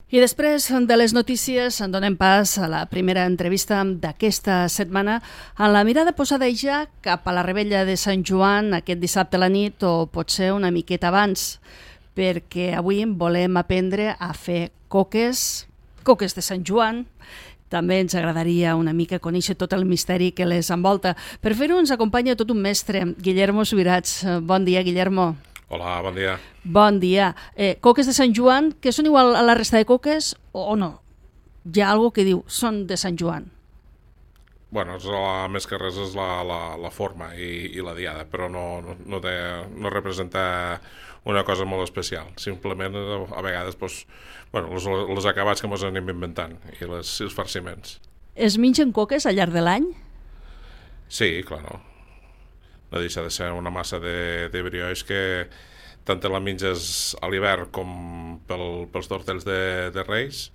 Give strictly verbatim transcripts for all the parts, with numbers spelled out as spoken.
I després de les notícies en donem pas a la primera entrevista d'aquesta setmana amb la mirada posada ja cap a la Revetlla de Sant Joan aquest dissabte a la nit o potser una miqueta abans, perquè avui volem aprendre a fer coques, coques de Sant Joan. També ens agradaria una mica conèixer tot el misteri que les envolta. Per fer-ho ens acompanya tot un mestre, Guillermo Subirats. Bon dia, Guillermo. Hola, bon dia. Bon dia. Eh, coques de Sant Joan, que són igual a la resta de coques o no? Hi ha algo que diu, són de Sant Joan. Bueno, és la, més que res és la, la, la forma i, i la diada, però no, no, no, té, no representa una cosa molt especial. Simplement, a vegades, doncs, bueno, els, els acabats que ens anem inventant i les, els farciments. Es mengen coques al llarg de l'any? Sí, clar, no. No deixa de ser una massa de, de brioix que tant te la menges a l'hivern com pel, pels tortells de, de Reis,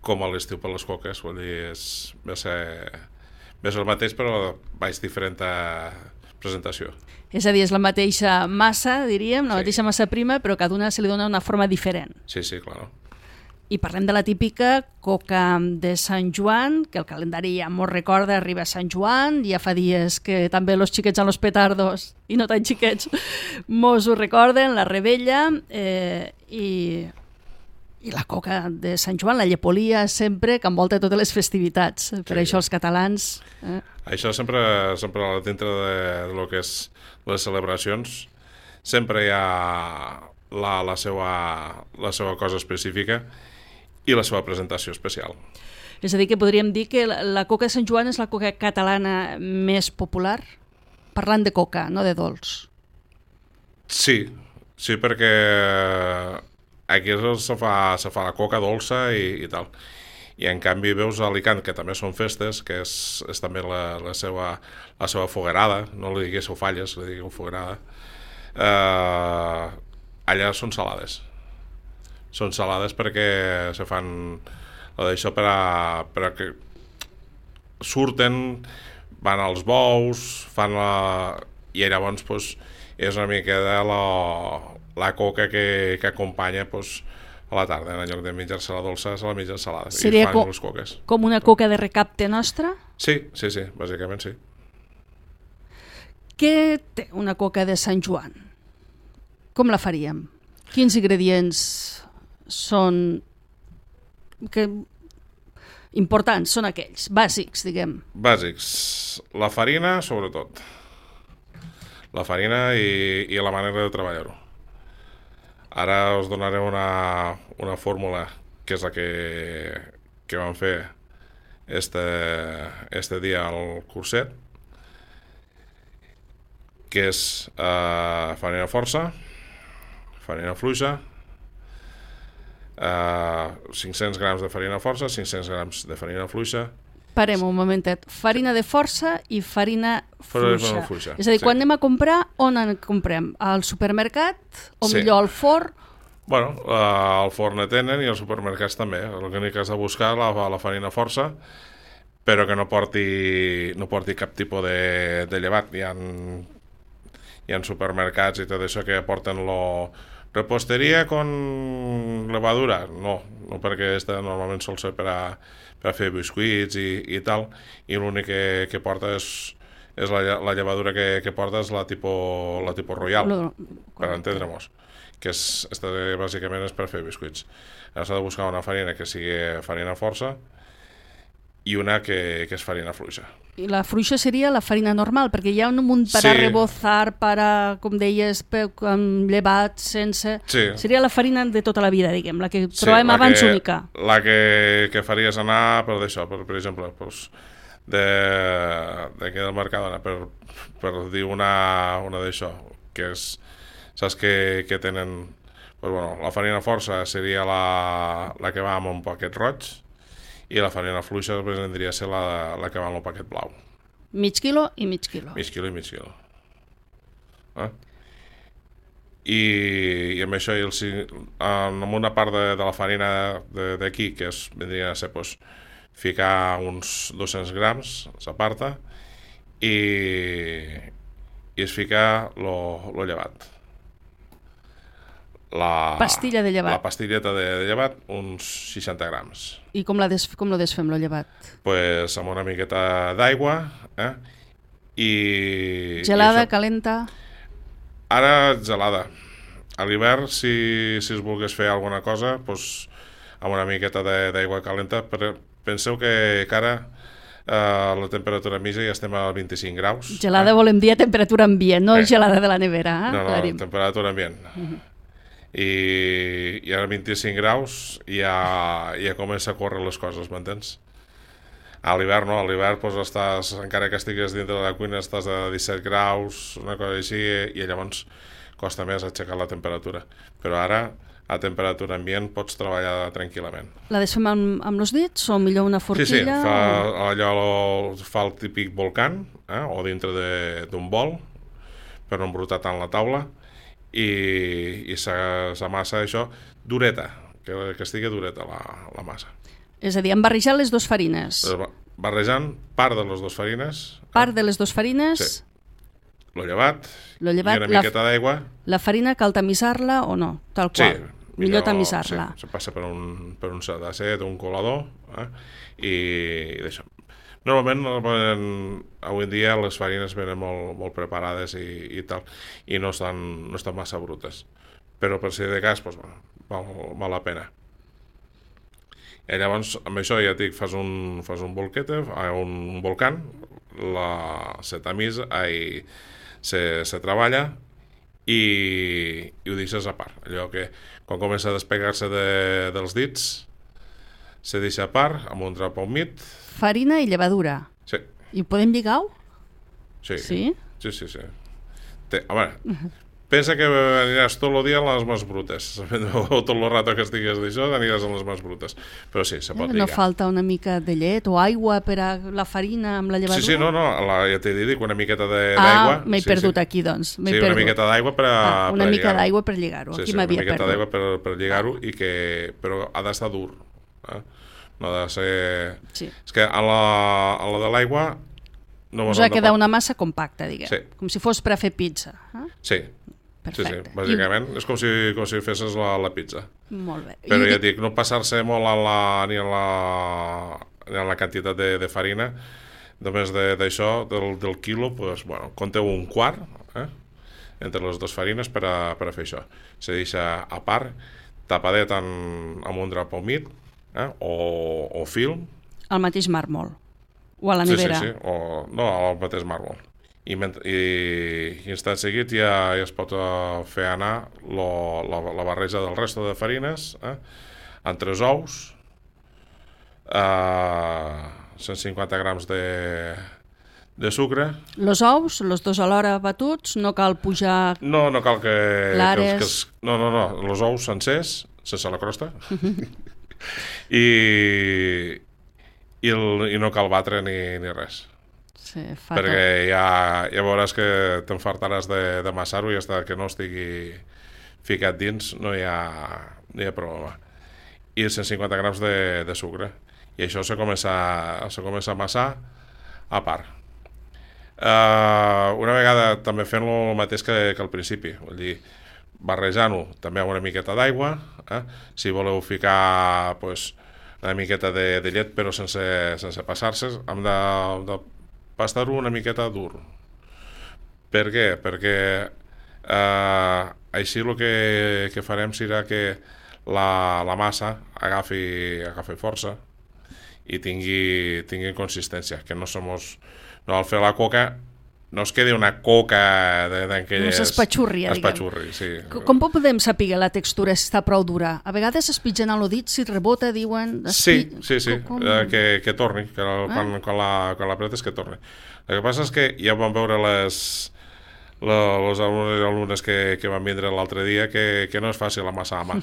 com a l'estiu per les coques. Vull dir, és, ve a ser, ve a ser el mateix, però vaig diferent presentació. És a dir, és la mateixa massa, diríem, la Sí. mateixa massa prima, però cada una se li dona una forma diferent. Sí, sí, clar. I parlem de la típica coca de Sant Joan, que el calendari ja mos recorda, arriba a Sant Joan, ja fa dies que també els xiquets amb els petardos, i no tan xiquets, mos ho recorden, la Revetlla, eh, i, i la coca de Sant Joan, la llepolia sempre que envolta totes les festivitats. Per Sí. això els catalans... Eh? Això sempre, sempre dintre de, de lo que és les celebracions, sempre hi ha la, la, seva, la seva cosa específica i la seva presentació especial. És a dir, que podríem dir que la, la coca de Sant Joan és la coca catalana més popular? Parlant de coca, no de dolç. Sí, sí, perquè aquí se fa, se fa la coca dolça i, i tal. I en canvi veus a Alicant, que també són festes, que és, és també la, la, seva, la seva foguerada, no li diguéssiu falles, li digueu foguerada, eh, allà són salades. Són salades perquè se fan això per a, per a que surten, van als bous, fan la... i llavors pues, és una mica de la, la coca que, que acompanya pues, a la tarda, en lloc de menjar-se la dolça, se la mengen salada. Seria i fan com, les coques. com una coca de recapte nostra? Sí, sí, sí, bàsicament sí. Què té una coca de Sant Joan? Com la faríem? Quins ingredients són que importants, són aquells, bàsics, diguem. Bàsics. La farina, sobretot. La farina i, i la manera de treballar-ho. Ara us donaré una, una fórmula que és la que, que vam fer este, este dia al curset, que és eh, farina força, farina fluixa, Uh, cinc-cents grams de farina força, cinc-cents grams de farina fluixa. Parem un momentet. Farina de força i farina fluixa. fluixa. És a dir, sí. quan anem a comprar, on en comprem? Al supermercat o Sí. millor al forn? Bueno, uh, al forn tenen i als supermercats també. L'únic que has de buscar la, la farina força, però que no porti, no porti cap tipus de, de llevat. Hi ha, hi ha supermercats i tot això que porten lo... Reposteria con levadura? No, no perquè esta normalment sol ser per a, per a fer biscuits i, i tal, i l'únic que, que porta és, és la, la llevadura que, que porta és la tipus la tipo royal, No, per entendre-nos, que és, esta bàsicament és per fer biscuits. Ara s'ha de buscar una farina que sigui farina força i una que, que és farina fluixa. I la fluixa seria la farina normal, perquè hi ha un munt per Sí. a rebozar, per a, com deies, per, amb llevat, sense... Sí. Seria la farina de tota la vida, diguem, la que Sí, trobem la abans que, única. La que, que faries anar per d'això, per, per exemple, pues, de d'aquí del Mercadona, per, per dir una, una d'això, que és, saps que, que tenen, pues, bueno, la farina força seria la, la que va amb un paquet roig, i la farina fluixa vendria a ser la, la que va amb el paquet blau. Mig quilo i mig quilo. Mig quilo i mig quilo. Eh? I, i amb això, i el, amb una part de, de la farina d'aquí, que es, vendria a ser pues, ficar uns dos-cents grams, s'aparta, i, i es fica lo, lo llevat. La pastilla de llevat. La pastilleta de, de llevat, uns seixanta grams. I com, la des, com lo desfem, lo llevat? Pues amb una miqueta d'aigua, eh? I... Gelada, i això... calenta? Ara, gelada. A l'hivern, si, si es volgués fer alguna cosa, pues, amb una miqueta d'aigua calenta, però penseu que, que ara Uh, la temperatura mitja ja estem a vint-i-cinc graus. Gelada eh? volem dir a temperatura ambient, no eh. gelada de la nevera. Eh? No, no, Clarim. Temperatura ambient. Uh-huh. I, I ara vint-i-cinc graus ja, ja comença a córrer les coses, m'entens? A l'hivern no, a l'hivern pues, estàs, encara que estigues dintre de la cuina estàs a disset graus, una cosa així, i llavors costa més aixecar la temperatura. Però ara a temperatura ambient pots treballar tranquil·lament. La desfem amb, amb els dits o millor una forquilla? Sí, sí, fa, o... allò fa el típic volcán, eh, o dintre d'un bol, per no embrutar tant la taula, i, i s'amassa això dureta, que, que estigui dureta la, la massa. És a dir, hem barrejat les dues farines. Barrejant part de les dues farines. Part de les dues farines. Sí. Lo llevat, lo llevat i una miqueta la, d'aigua. La farina cal tamisar-la o no? Tal qual. Sí. Millor tamisar-la. Sí, se passa per un, per un sedacet, un colador, eh? i, i d'això. Normalment, normalment, avui en dia, les farines venen molt, molt preparades i, i tal, i no estan, no estan massa brutes. Però per si de cas, doncs, bueno, val, val la pena. I llavors, amb això ja et dic, fas un, fas un bolquete, un, un volcán, la, se tamisa, i se, se treballa, i, i ho deixes a part. Allò que quan comença a despegar-se de, dels dits se deixa a part amb un drap humit. Farina i llevadura. Sí. I podem lligar-ho? Sí. Sí? Sí, sí, sí. Té, home, pensa que aniràs tot el dia a les mans brutes. O tot el rato que estigues d'això aniràs a les mans brutes. Però sí, se pot eh, lligar. No falta una mica de llet o aigua per a la farina amb la llevadura? Sí, sí, no, no, la, ja t'he dit, una miqueta d'aigua. Ah, m'he sí, perdut sí. aquí, doncs. Sí, perdut. una miqueta d'aigua per a ah, Una per mica d'aigua per lligar-ho. Sí, aquí sí, una m'havia miqueta perdut. d'aigua per, per lligar-ho, i que, però ha d'estar dur. Eh? No ha de ser... Sí. És que a la, a la de l'aigua... No us ha quedat una massa compacta, diguem. Sí. Com si fos per a fer pizza. Eh? Sí. Perfecte. Sí, sí, bàsicament I... és com si, com si fessis la, la pizza. Molt bé. Però I... ja dic, no passar-se molt a la, ni, a la, ni a la quantitat de, de farina, només d'això, de, del, del quilo, pues, bueno, compteu un quart, eh? entre les dues farines per a, per a fer això. Se deixa a part, tapadet en, amb un drap humit, eh? o, o film. Al mateix màrmol? O a la nevera? Sí, sí, sí. O, no, al mateix màrmol. I, i, i instant seguit ja, ja es pot uh, fer anar lo, la, la barreja del resto de farines, eh? en tres ous, uh, cent cinquanta grams de, de sucre. Los ous, los dos alhora batuts, no cal pujar... No, no cal que... Clares... Que, els, que els, no, no, no, los ous sencers, sense la crosta, I, i, el, i no cal batre ni, ni res. Sí, perquè ja, ja veuràs que t'enfartaràs de, de massar-ho, i hasta que no estigui ficat dins no hi ha, no hi ha problema. I cent cinquanta grams de, de sucre, i això se comença, se comença a amassar a part. Uh, una vegada també fent-lo el mateix que, que al principi, vull dir, barrejant-ho també amb una miqueta d'aigua, eh? Si voleu ficar pues, una miqueta de, de llet però sense, sense passar-se, hem de, de pastar-ho una miqueta dur. Per què? Perquè eh, així el que, que farem serà que la, la massa agafi, agafi força i tingui, tingui consistència, que no somos, no al fer la coca no es quedi una coca d'aquelles... No s'espatxurri, diguem. Espatxurri, sí. Com podem saber la textura si està prou dura? A vegades es pitgen a l'odit, si rebota, diuen... Sí, sí, sí, com... eh, que, que torni, que quan, eh? quan, la, quan l'apretes que torni. El que passa és que ja vam veure les, la, les alumnes, alumnes que, que van vindre l'altre dia que, que no és fàcil amassar a mà.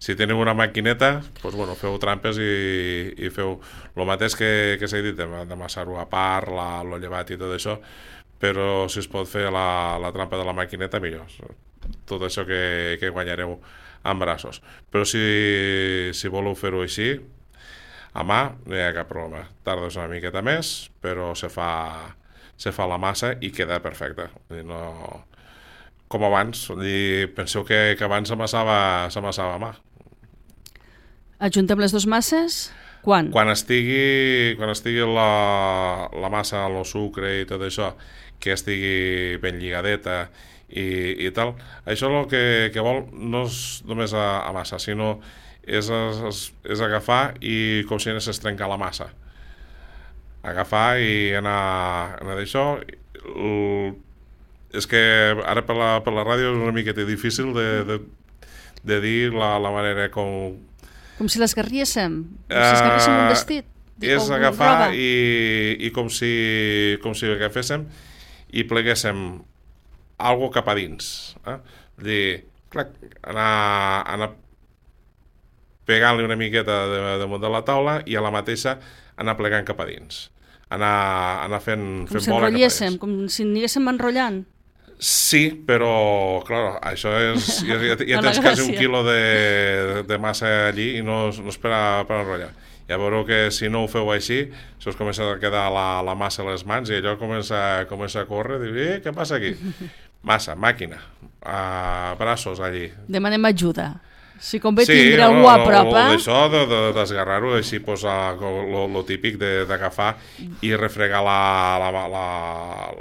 Si teniu una maquineta, doncs, bueno, feu trampes i, i feu el mateix que, que s'ha dit, d'amassar-ho a part, la, lo llevat i tot això, però si es pot fer la, la trampa de la maquineta, millor. Tot això que, que guanyareu en braços. Però si, si voleu fer-ho així, a mà, no hi ha cap problema. Tardes una miqueta més, però se fa, se fa la massa i queda perfecta. No... com abans. I penseu que, que abans s'amassava s'amassava a mà. Ajuntem les dues masses? Quan? Quan estigui, quan estigui la, la massa, el sucre i tot això, que estigui ben lligadeta i, i tal, això el que, que vol no és només a, a massa, sinó és, és, és agafar i com si anés a trencar la massa. Agafar i anar, anar d'això. És que ara per la, per la ràdio és una miqueta difícil de, de, de dir la, la manera com... Com si l'esgarriéssim, com si esgarriéssim un vestit. És agafar i, i com si, com si agaféssim i pleguéssim algo cap a dins. Eh? Dir, clar, anar, anar pegant-li una miqueta de, damunt de la taula i a la mateixa anar plegant cap a dins. Anar, anar fent, com fent si bola cap a dins. Com si anéssim enrotllant. Sí, però, clar, això és... Ja, ja, ja tens quasi un quilo de, de massa allí i no, no és per, a, per enrotllar. Ja veureu que si no ho feu així, se us comença a quedar la, la massa a les mans i allò comença, comença a córrer i dir, eh, què passa aquí? Massa, màquina, uh, braços allí. Demanem ajuda. Si convé sí, tindre no, algú a prop, eh? Sí, això d'esgarrar-ho, així posar lo típic d'agafar i refregar la, la, la,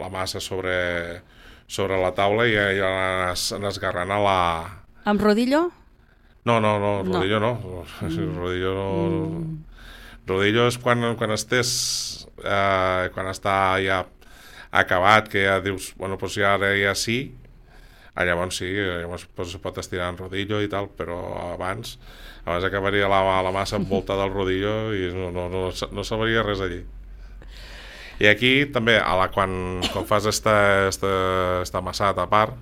la massa sobre... sobre la taula i ja anar esgarrant a la... Amb rodillo? No, no, no, rodillo no. no. Mm. Rodillo no... Mm. Rodillo és quan, quan estés... Eh, quan està ja acabat, que ja dius, bueno, doncs ja ara ja sí, llavors sí, llavors pues, pot estirar en rodillo i tal, però abans abans acabaria la, la massa envoltada del rodillo i no, no, no, no sabria res allí. I aquí també, a la, quan, quan fas esta, esta, esta massat a part,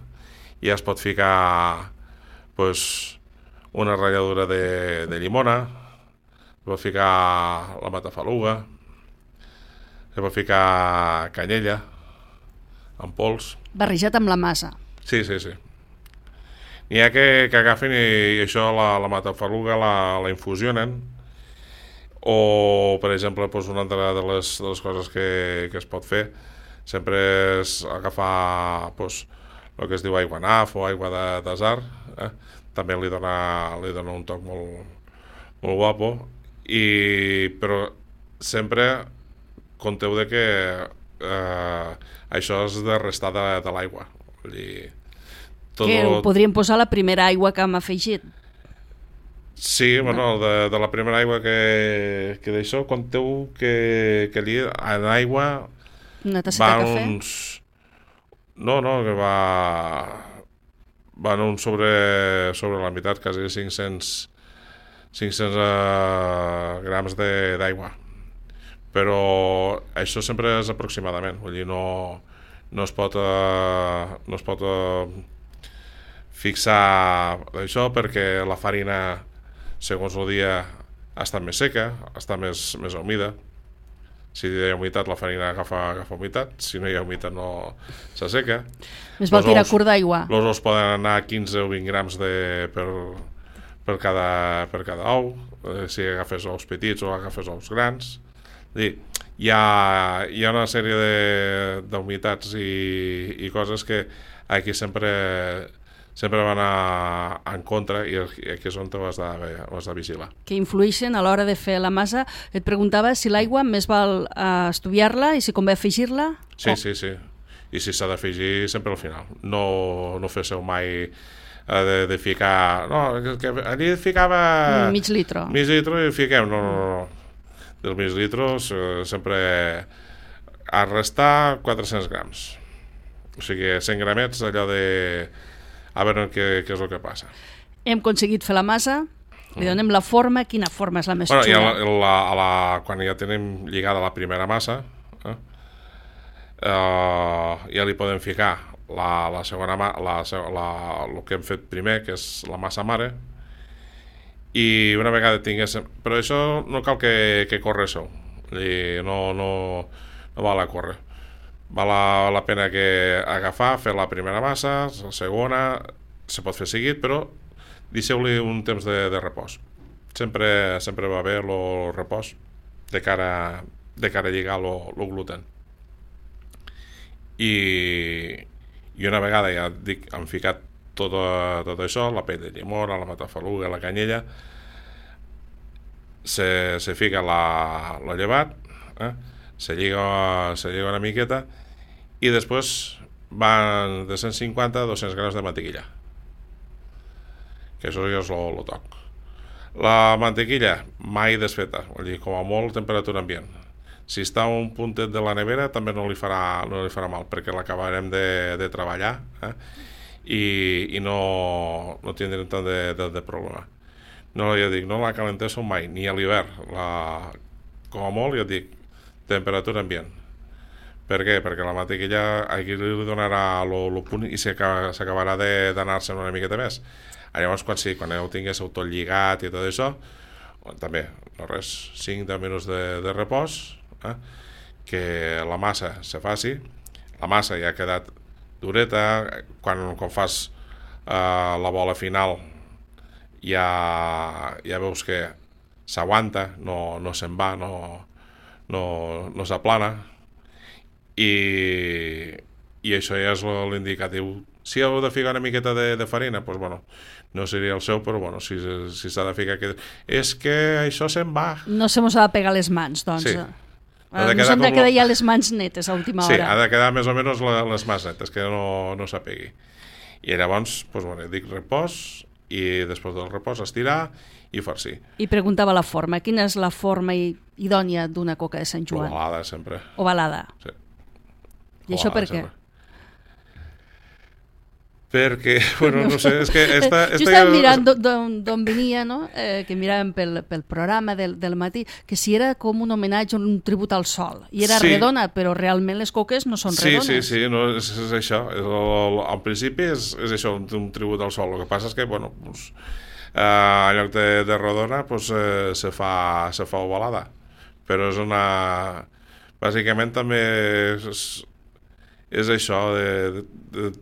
ja es pot ficar pues, una ratlladura de, de llimona, es pot ficar la matafaluga, es pot ficar canyella, en pols. Barrejat amb la massa. Sí, sí, sí. N'hi ha que, que agafen i, i això, la, la matafaluga la, la infusionen, o, per exemple, doncs una altra de les, de les coses que, que es pot fer sempre és agafar doncs, el que es diu aigua naf o aigua de desar, eh? També li dona, li dona un toc molt, molt guapo, i, però sempre compteu de que eh, això és de restar de, de l'aigua. Tot que ho podríem posar la primera aigua que hem afegit. Sí, bueno, de, de la primera aigua que, que d'això, compteu que, que allí en aigua una tasseta de cafè? Uns... No, no, que va... van un sobre, sobre la meitat, quasi cinc-cents, cinc-cents uh, grams d'aigua. Però això sempre és aproximadament, vull dir, no, no es pot, uh, no es pot uh, fixar això perquè la farina, segons el dia, està més seca, està més, més humida. Si hi ha humitat, la farina agafa, agafa humitat. Si no hi ha humitat, no s'asseca. Més val tirar curt d'aigua. Els ous poden anar quinze o vint grams de, per, per, cada, per cada ou, eh, si agafes ous petits o agafes ous grans. Dir, hi, ha, hi ha una sèrie d'humitats i, i coses que aquí sempre... sempre van a, en contra i aquí és on ho has de, ho has de vigilar. Que influeixen a l'hora de fer la massa. Et preguntava si l'aigua més val uh, estudiar-la i si convé afegir-la? Sí, oh. sí, sí. I si s'ha d'afegir sempre al final. No, no fesseu mai uh, de, de ficar... No, que allí ficava... Mig litro. Mig litro i fiquem. No, no, no. Dels mig litros uh, sempre a restar quatre-cents grams. O sigui, cent gramets allò de... a veure què, què és el que passa. Hem aconseguit fer la massa, li donem la forma. Quina forma és la més bueno, xula? La, la, a la, quan ja tenim lligada la primera massa, eh, eh, ja li podem ficar la, la segona la, la, el que hem fet primer, que és la massa mare, i una vegada tinguéssim... Però això no cal que, que corréssiu, no, no, no val a córrer. Val la, la pena que agafar, fer la primera massa, la segona, se pot fer seguit, però deixeu-li un temps de, de repòs. Sempre, sempre va bé el repòs de cara, de cara a lligar el gluten. I, I una vegada ja dic, han ficat tot, tot això, la pell de llimona, la matafaluga, la canyella, se, se fica la, la llevat, eh? se, lliga, se lliga una miqueta i després van de cent cinquanta a dos-cents grams de mantequilla, que això ja és el toc. La mantequilla mai desfeta, vull dir, com a molt temperatura ambient. Si està un puntet de la nevera també no li farà, no li farà mal, perquè l'acabarem de, de treballar, eh? I, i no, no tindrem tant de, de, de problema. No, ja dic, no la calenteixo mai, ni a l'hivern. La, com a molt, ja dic, temperatura ambient. Per què? Perquè la mantequilla aquí li donarà el punt i s'acabarà d'anar-se'n una miqueta més. Llavors, quan sí, quan ja ho tinguéssiu tot lligat i tot això, també, no res, cinc deu minuts de, de repòs, eh? Que la massa se faci. La massa ja ha quedat dureta, quan, quan fas eh, la bola final ja, ja veus que s'aguanta, no, no se'n va, no, no, no s'aplana, i, i això ja és l'indicatiu. Si heu de ficar una miqueta de, de farina, doncs, bueno, no seria el seu, però bueno, si si s'ha de ficar... Que... És que això se'n va. No se mos ha de pegar les mans, doncs. Sí. Ha de quedar, no s'han de quedar ja les mans netes a última hora. Sí, ha de quedar més o menys les mans netes, que no, no s'apegui. I llavors, doncs, bueno, dic repòs, i després del repòs estirar i farcir. I preguntava la forma. Quina és la forma idònia d'una coca de Sant Joan? Ovalada, sempre. Ovalada. Sí. I això per què? Perquè, bueno, no sé, és que... Esta, esta jo estava ja... mirant d'on venia, no? Eh, que miràvem pel, pel programa del, del matí, que si era com un homenatge, un tribut al sol. I era sí. redona, però realment les coques no són sí, redones. Sí, sí, sí, no, és, és això. És el, al principi és, és això, un, un tribut al sol. El que passa és que, bueno, pues, eh, en lloc de, de redona, pues, eh, se, fa, se fa ovalada. Però és una... Bàsicament també és, és això de... de, de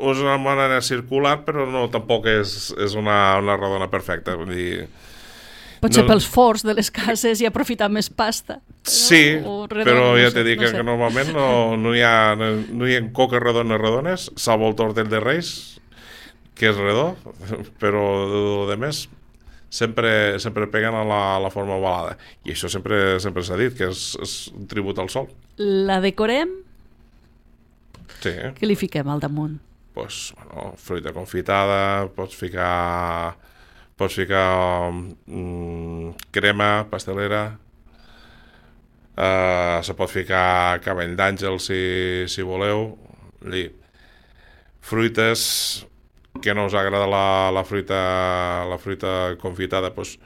és una manera circular, però no, tampoc és, és una, una redona perfecta. Vull dir, potser no... pels forts de les cases i aprofitar més pasta. Però, sí, redona, però ja no t'he sé, dit no que, sé. que normalment no, no, hi ha, no, no hi ha coques redones redones, salvo el tortell de Reis, que és redó, però de més sempre, sempre peguen a la, a la forma ovalada. I això sempre sempre s'ha dit, que és, és un tribut al sol. La decorem? Sí. Què li fiquem al damunt? Pues, bueno, fruita confitada, pots ficar pots ficar mm, crema pastelera, uh, se pot ficar cabell d'àngel si, si voleu. Dir, fruites que no us agrada la, la fruita la fruita confitada, pues,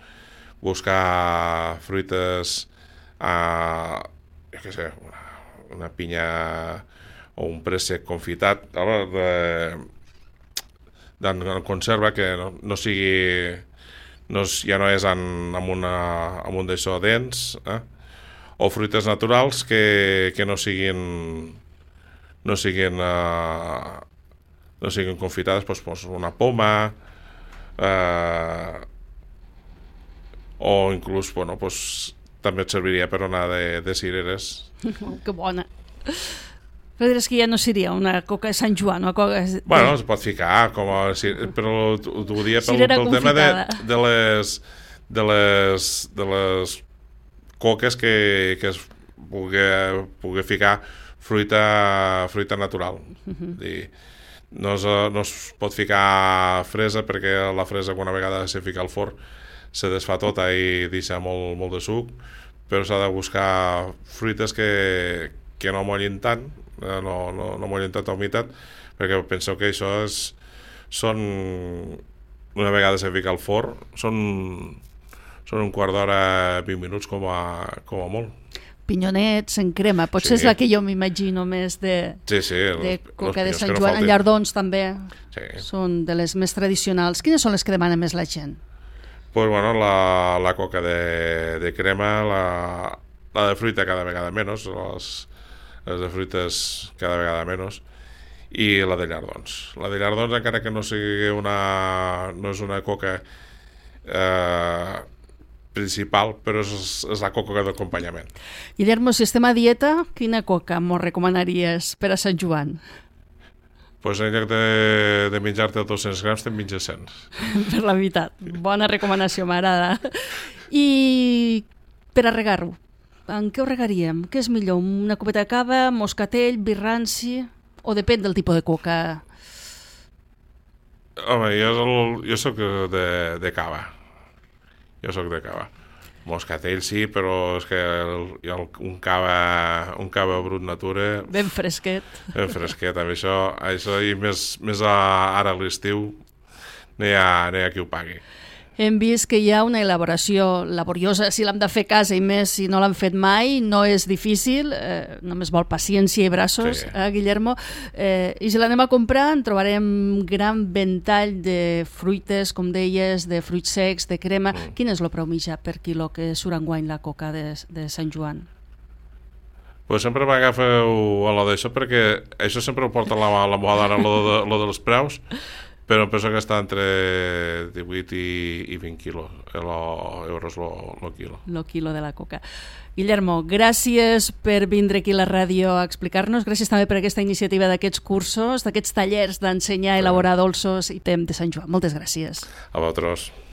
buscar fruites uh, jo què sé, una, una pinya o un préssec confitat de, de conserva, que no, no sigui no, ja no és en, amb, una, amb un d'això dents, eh? O fruites naturals que, que no siguin no siguin uh, no siguin confitades, doncs, doncs una poma, uh, o inclús, bueno, doncs, també et serviria per una de, de cireres. Que bona. Però diràs que ja no seria una coca de Sant Joan, una coca de... Bueno, es pot ficar, com a, però t'ho dia pel, pel tema de, de les de les de les coques que, que es pugui, pugui ficar fruita fruita natural. Uh-huh. Dir, no, es, no es pot ficar fresa, perquè la fresa, quan una vegada se fica al forn, se desfà tota i deixa molt, molt de suc, però s'ha de buscar fruites que, que no mollin tant, no, no, no mollin tanta humitat, perquè penseu que això és, són, una vegada se fica al forn, són, són un quart d'hora, vint minuts com a, com a molt. Pinyonets en crema, potser sí. És la que jo m'imagino més de, sí, sí, de els, coca els de Sant no Joan. En llardons també sí. Són de les més tradicionals. Quines són les que demana més la gent? Pues bueno, la, la coca de, de crema, la, la de fruita cada vegada menys, les, les de fruites cada vegada menys, i la de llardons. La de llardons, encara que no sigui una, no és una coca eh, principal, però és, és la coca d'acompanyament. Guillermo, si estem a dieta, quina coca m'ho recomanaries per a Sant Joan? Pues en lloc de, de menjar-te dos-cents grams, te'n menges cent. Per la meitat. Bona recomanació, m'agrada. I per a regar-ho, en què ho regaríem? Què és millor? Una copeta de cava, moscatell, vi ranci? O depèn del tipus de coca? Home, jo, el, jo soc de, de cava. Jo soc de cava. Moscatell sí, però és que el, el, un, cava, un cava brut natura... Ben fresquet. Ben fresquet, amb això, això i més, més a, ara a l'estiu no hi, ha, no hi ha qui ho pagui. Hem vist que hi ha una elaboració laboriosa, si l'hem de fer a casa i més si no l'han fet mai, no és difícil, eh, només vol paciència i braços, sí. eh, Guillermo? Eh, I si l'anem a comprar en trobarem gran ventall de fruites, com deies, de fruits secs, de crema. Mm. Quin és el preu mitjà per quilo que surt enguany la coca de, de Sant Joan? Pues sempre m'agafeu a lo d'això perquè això sempre ho porta la, la moda ara, lo, de, lo dels preus, però em penso que està entre divuit i, i vint quilos, euros el quilo. El quilo de la coca. Guillermo, gràcies per vindre aquí a la ràdio a explicar-nos, gràcies també per aquesta iniciativa d'aquests cursos, d'aquests tallers d'ensenyar a elaborar dolços i tem de Sant Joan. Moltes gràcies. A vosaltres.